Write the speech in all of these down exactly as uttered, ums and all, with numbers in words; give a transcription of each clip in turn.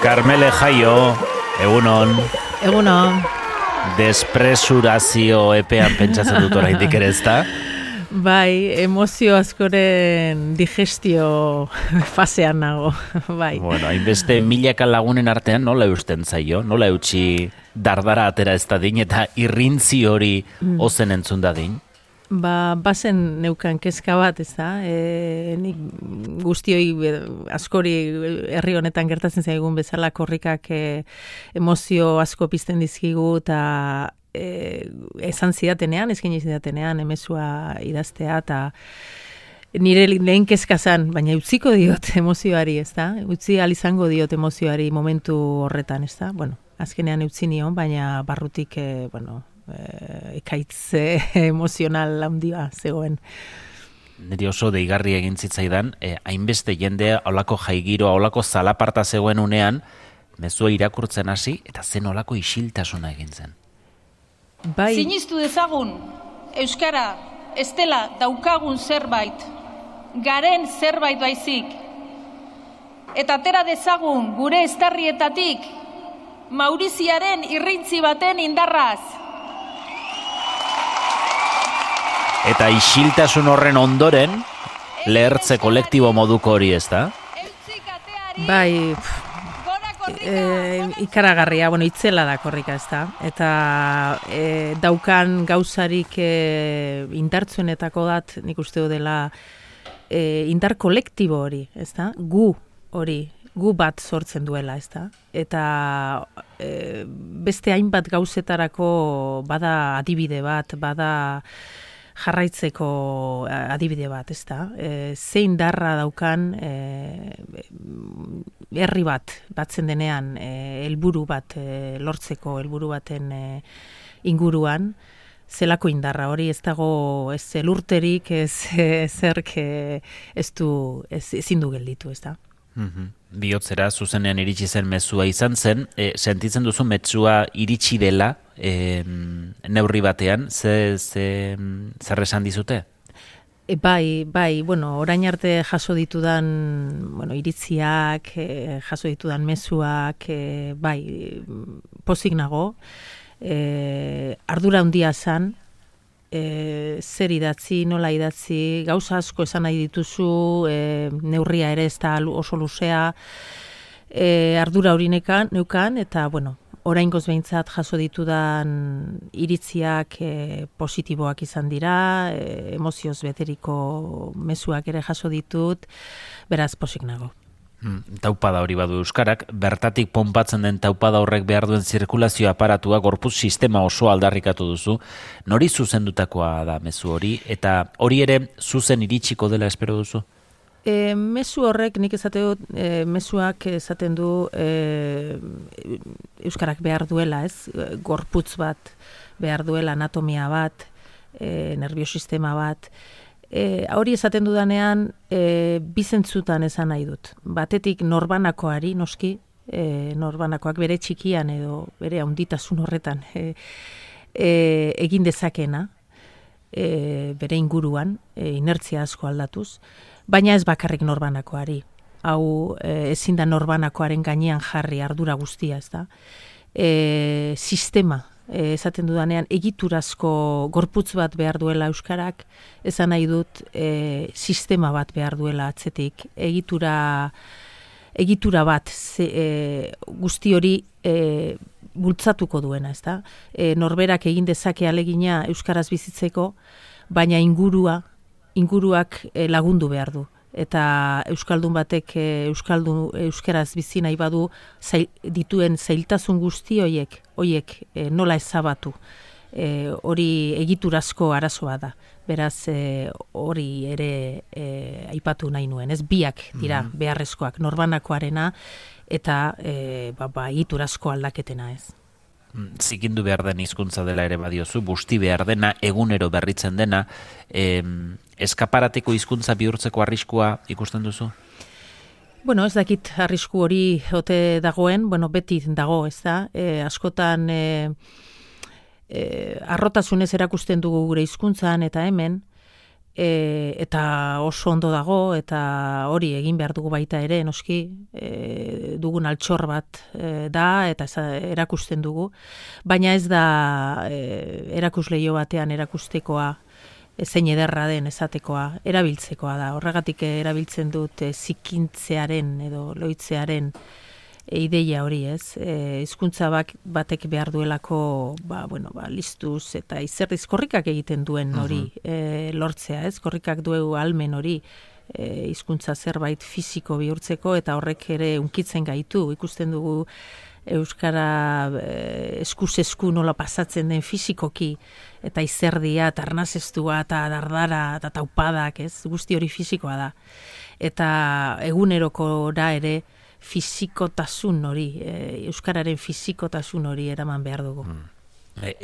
Karmele Jaio, egunon. Egunon. Despresurazio epean pentsatzen dut oraindik ere, ezta? Bai, emozio askoren digestio fasean nago, bai. Bueno, hainbeste milaka lagunen artean nola eusten zaio, nola eutxi dardara atera ez dadin eta irrintzi hori ozen entzun dadin? Ba, bazen neukan kezka bat, ez da? E, nik guztioi askori herri honetan gertatzen zaigun bezala korrikak e, emozio asko pizten dizkigu eta e, esan zidatenean, ezkin zidatenean, emezua idaztea eta nire lehen kezka zan, baina utziko diot emozioari, ez da? Utzi alizango diot emozioari momentu horretan, ez da? Bueno, azkenean utzi nion, baina barrutik, e, bueno, Eh, ekaitze emozional handia zegoen. Niri oso deigarri egin zitzaidan, eh, hainbeste jendea olako jaigiroa, olako zalaparta zegoen unean, mezua irakurtzen hasi eta zen olako isiltasuna egin zen. Bai. Sinistu dezagun, euskara, ez dela daukagun zerbait, garen zerbait baizik, eta atera dezagun gure estarrietatik Mauriziaren irrintzi baten indarraz. Eta isiltasun horren ondoren, lehertze kolektibo moduko hori, ez da? Bai, e, ikaragarria, bueno, itzela da korrika, ez da? Eta e, daukan gauzarik e, indartzuenetako dat, nik uste dela, e, indar kolektibo hori, ez da? Gu hori, gu bat sortzen duela, ez da? Eta e, beste hainbat gauzetarako bada adibide bat, bada jarraitzeko adibide bat, ez da? E, zein darra daukan e, herri bat, batzen denean, e, helburu bat e, lortzeko, helburu baten e, inguruan, zelako indarra hori ez dago ez elurterik, ez zerk ez du, ez, ezin du gelditu, ez da? Mm-hmm. Bihotzera zuzenean iritsi zen mezua izan zen, e, sentitzen duzu mezua iritsi dela e, neurri batean, ze, ze, zer esan dizute? E, bai, bai, bueno, orain arte jaso ditudan, bueno, iritziak, e, jaso ditudan mezuak, e, bai, pozik nago, e, ardura handia zan, E, zer idatzi, nola idatzi, gauza asko esan nahi dituzu, e, neurria ere ez da oso luzea, e, ardura hori neukan, eta, bueno, oraingoz behintzat jaso ditudan iritziak e, positiboak izan dira, e, emozioz beteriko mezuak ere jaso ditut, beraz posik nago. Hmm, taupada hori badu euskarak, bertatik ponpatzen den taupada horrek behar duen zirkulazio aparatua, gorputz sistema oso aldarrikatu duzu, nori zuzendutakoa da mezu hori, eta hori ere zuzen iritsiko dela espero duzu? E, mezu horrek, nik esate dut, e, mezuak esaten du e, euskarak behar duela, ez? Gorputz bat behar duela, anatomia bat, e, nerviosistema bat. E, hori esaten dudanean, e, bizentzutan esan nahi dut. Batetik norbanakoari, noski, e, norbanakoak bere txikian edo bere handitasun horretan e, e, egin dezakena, e, bere inguruan, e, inertzia asko aldatuz, baina ez bakarrik norbanakoari. Hau e, ezin da norbanakoaren gainean jarri ardura guztia, ez da? E, sistema, e, esaten dudanean, egiturazko gorputz bat behar duela euskarak, esan nahi dut e, sistema bat behar duela atzetik, egitura, egitura bat ze, e, guzti hori e, bultzatuko duena, ez da? E, norberak egin dezake alegina euskaraz bizitzeko, baina ingurua, inguruak e, lagundu behar du. Eta euskaldun batek e, euskaldun euskaraz bizi nahi badu zail, dituen zailtasun guzti hoiek, hoiek e, nola ezabatu. E, hori egiturazko arazoa da. Beraz, e, hori ere e, aipatu nahi nuen. Ez biak dira mm-hmm. beharrezkoak, norbanakoarena eta e, ba, ba, egiturazko aldaketena ez. Zikindu behar den hizkuntza dela ere badiozu, busti behar dena, egunero berritzen dena, eh, eskaparateko hizkuntza bihurtzeko arriskua ikusten duzu? Bueno, ez dakit arrisku hori ote dagoen, bueno, beti dago, ez da, e, askotan e, e, arrotasunez erakusten dugu gure hizkuntzan eta hemen, E, eta oso ondo dago, eta hori egin behar dugu baita ere, noski, e, dugun altxor bat e, da, eta ez, erakusten dugu, baina ez da e, erakusleio batean erakustekoa, zein ederra den esatekoa, erabiltzekoa da. Horregatik erabiltzen dut e, zikintzearen edo loitzearen e, ideia hori, ez? E, hizkuntza bak, batek behar duelako, ba, bueno, ba, listuz eta izerdiz korrikak egiten duen hori e, lortzea, ez? Korrikak du ahalmen hori e, hizkuntza zerbait fisiko bihurtzeko, eta horrek ere unkitzen gaitu. Ikusten dugu euskara eh, eskuz esku nola pasatzen den fisikoki, eta izerdia, eta arnazestua, eta dardara, eta taupadak, ez? Guzti hori fisikoa da. Eta eguneroko da ere fisikotasun hori, eh, euskararen fisikotasun hori eraman behar dugu. Mm.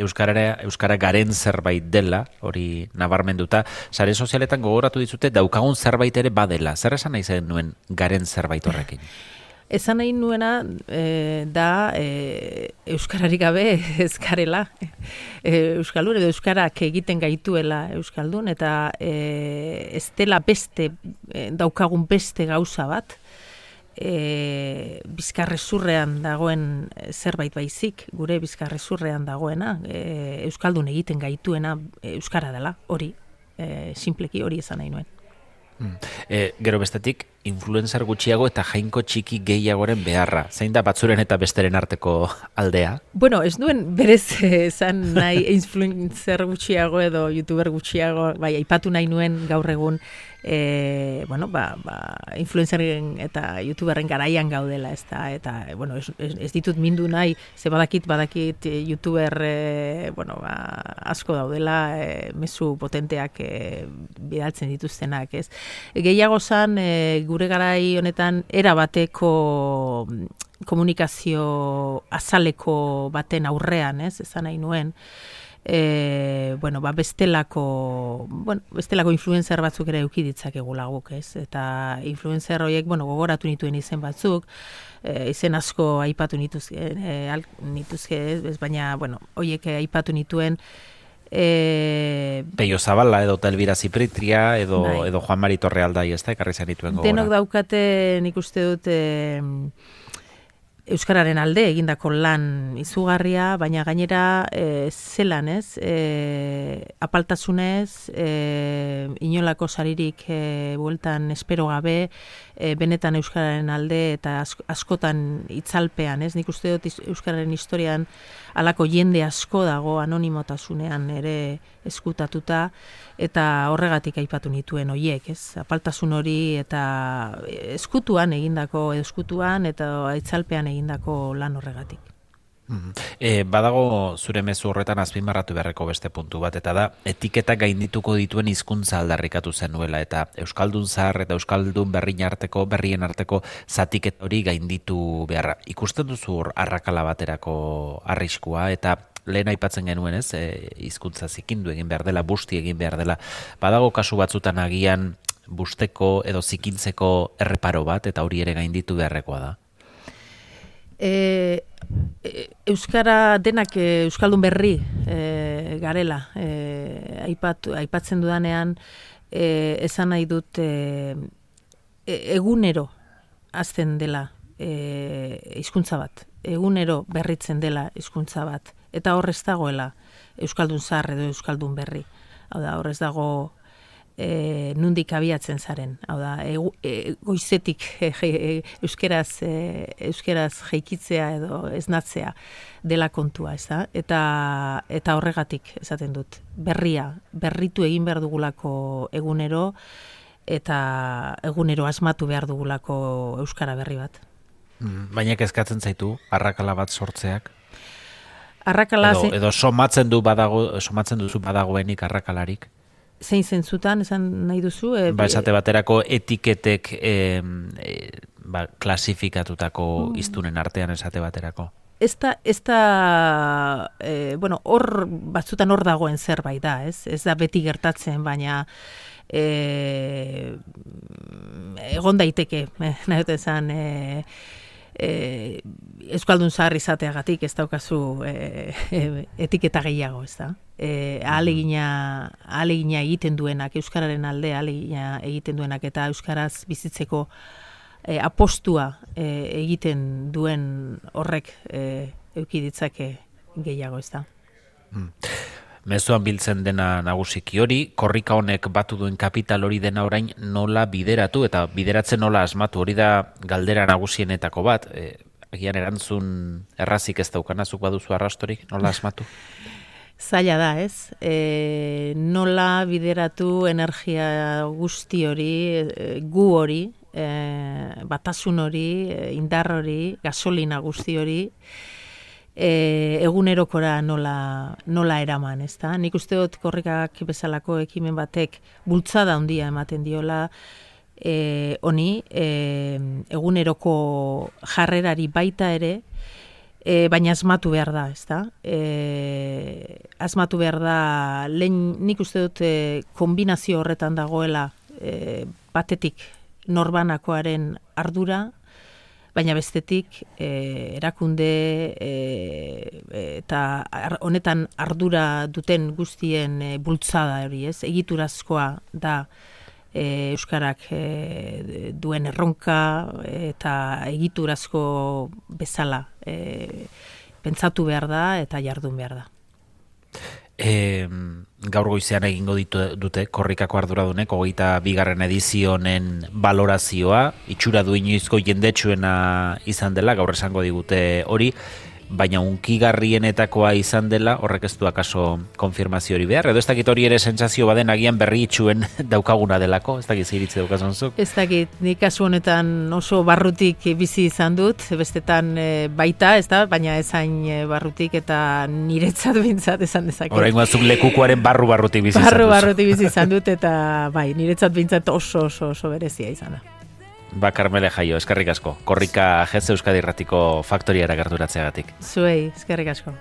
Euskarara, euskara garen zerbait dela, hori nabarmenduta, sare sozialetan gogoratu dizute daukagun zerbait ere badela. Zer esan nahi zen nuen garen zerbait horrekin? Esan nahi nuena e, da e, euskararik gabe ez garela e, euskaldun, edo euskarak egiten gaituela euskaldun, eta e, ez dela beste, e, daukagun beste gauza bat, e, bizkarrezurrean dagoen zerbait baizik, gure bizkarrezurrean dagoena, e, euskaldun egiten gaituena euskara dela, hori, e, simpleki hori esan nahi nuen. E, gero bestetik, influencer gutxiago eta jainko txiki gehiagoren beharra. Zein da batzuren eta besteren arteko aldea? Bueno, ez duen berez esan nahi influencer gutxiago edo youtuber gutxiago, bai, aipatu nahi nuen gaur egun, e, bueno, ba, ba, influenceren eta youtuberren garaian gaudela, ez da, eta, bueno, ez, ez, ez ditut mindu nahi, ze badakit, badakit youtuber, e, bueno, ba, asko daudela, e, mezu potenteak e, bidaltzen dituztenak, ez? Gehiago zan, e, gure garai honetan erabateko komunikazio azaleko baten aurrean, ez, esan nahi nuen, e, bueno, ba, bestelako, bueno, bestelako influencer batzuk ere eduki ditzakegu laguk, ez, eta influencer horiek, bueno, gogoratu nituen izen batzuk, e, izen asko aipatu nituzke, e, al, nituzke, ez, baina, bueno, horiek aipatu nituen, E... Peio Zabala edo Elbira Zipritria edo, bai. edo Juan Mari Torrealdai, ez da, ekarri zenituen gogora. Denok daukate, nik uste dut, e, euskararen alde egindako lan izugarria, baina gainera e, zelan, ez? E, apaltasunez, e, inolako saririk e, bueltan espero gabe, e, benetan euskararen alde eta ask, askotan itzalpean, ez? Nik uste dut euskararen historian halako jende asko dago anonimotasunean ere eskutatuta, eta horregatik aipatu nituen hoiek, ez? Apaltasun hori eta eskutuan egindako, eskutuan eta itzalpean egindako lan horregatik. E, badago zure mezu horretan azpimarratu beharreko beste puntu bat, eta da etiketak gaindituko dituen hizkuntza aldarrikatu zenuela, eta euskaldun zahar eta euskaldun berrien arteko berrien arteko zatiket hori gainditu beharra. Ikusten duzu hor arrakala baterako arriskua, eta lehen aipatzen genuen, ez, e, hizkuntza zikindu egin behar dela, busti egin behar dela. Badago kasu batzutan agian busteko edo zikintzeko erreparo bat, eta hori ere gainditu beharrekoa da. E, e, Euskara denak e, euskaldun berri e, garela, e, aipatu, aipatzen dudanean, e, esan nahi dut e, egunero azten dela e, hizkuntza bat, egunero berritzen dela hizkuntza bat, eta hor ez dagoela euskaldun zahar edo euskaldun berri. Hau da, hor ez dago E, nundik abiatzen zaren, hau da, e, e, goizetik e, e, euskeraz, e, euskeraz jeikitzea edo esnatzea dela kontua, ez da? Eta, eta horregatik esaten dut, berria, berritu egin behar dugulako egunero, eta egunero asmatu behar dugulako euskara berri bat. Baina kezkatzen zaitu, arrakala bat sortzeak? Arrakala edo, edo somatzen du badago, somatzen duzu badagoenik arrakalarik? Zein zentzutan, esan nahi duzu? E, ba, esate baterako etiketek e, e, ba, klasifikatutako mm. iztunen artean esate baterako. Ez da, ez da e, bueno, hor batzutan hor dagoen zerbait da, ez? Ez da beti gertatzen, baina e, egon daiteke, eh, nahi dut esan, e, e, euskaldun zahar izateagatik ez daukazu e, e, etiketa gehiago, ez da? E, ahalegina, ahalegina egiten duenak, euskararen alde ahalegina egiten duenak, eta euskaraz bizitzeko e, apostua e, egiten duen horrek e, euki ditzake gehiago, ez da. Hmm. Mezuan biltzen dena nagusiki hori, korrika honek batu duen kapital hori dena orain nola bideratu eta bideratzen nola asmatu, hori da galdera nagusienetako bat, e, agian erantzun errazik ez daukanazuk baduzu arrastorik, nola asmatu? Zaila da, ez? E, nola bideratu energia guzti hori, e, gu hori, e, batasun hori, e, indar hori, gasolina guzti hori, e, egunerokora nola, nola eraman, ez da? Nik uste dut korrikak bezalako ekimen batek bultzada handia ematen diola, e, honi, e, eguneroko jarrerari baita ere, E, baina asmatu behar da, ez da? E, asmatu behar da, lehen nik uste dut e, kombinazio horretan dagoela e, batetik norbanakoaren ardura, baina bestetik e, erakunde e, eta ar, honetan ardura duten guztien e, bultzada hori, ez? Egiturazkoa da E, euskarak e, duen erronka eta egiturazko bezala e, pentsatu behar da eta jardun behar da. E, gaur goizean egingo ditu dute korrikako arduradunek hogeita bigarren edizionen balorazioa, itxura du inoizko jendetsuena izan dela, gaur esango digute hori, baina unkigarrienetakoa izan dela, horrek ez du akaso konfirmazio hori behar, edo ez dakit hori ere sentsazio baden agian berri itxuen daukaguna delako, ez dakit ziritzi daukazun zuk? Ez dakit, nik kasu honetan oso barrutik bizi izan dut, bestetan e, baita, ez da, baina ezain e, barrutik eta niretzat bintzat esan dezake. Orain guazuk lekukoaren barru barrutik bizi izan dut. Barru barrutik bizi izan dut eta bai, niretzat bintzat oso oso oso berezia izan da. Ba, Karmele Jaio, eskerrik asko. Korrika Jetze Euskadi Irratiko faktoriara gerturatzeagatik. Zuei, eskerrik asko.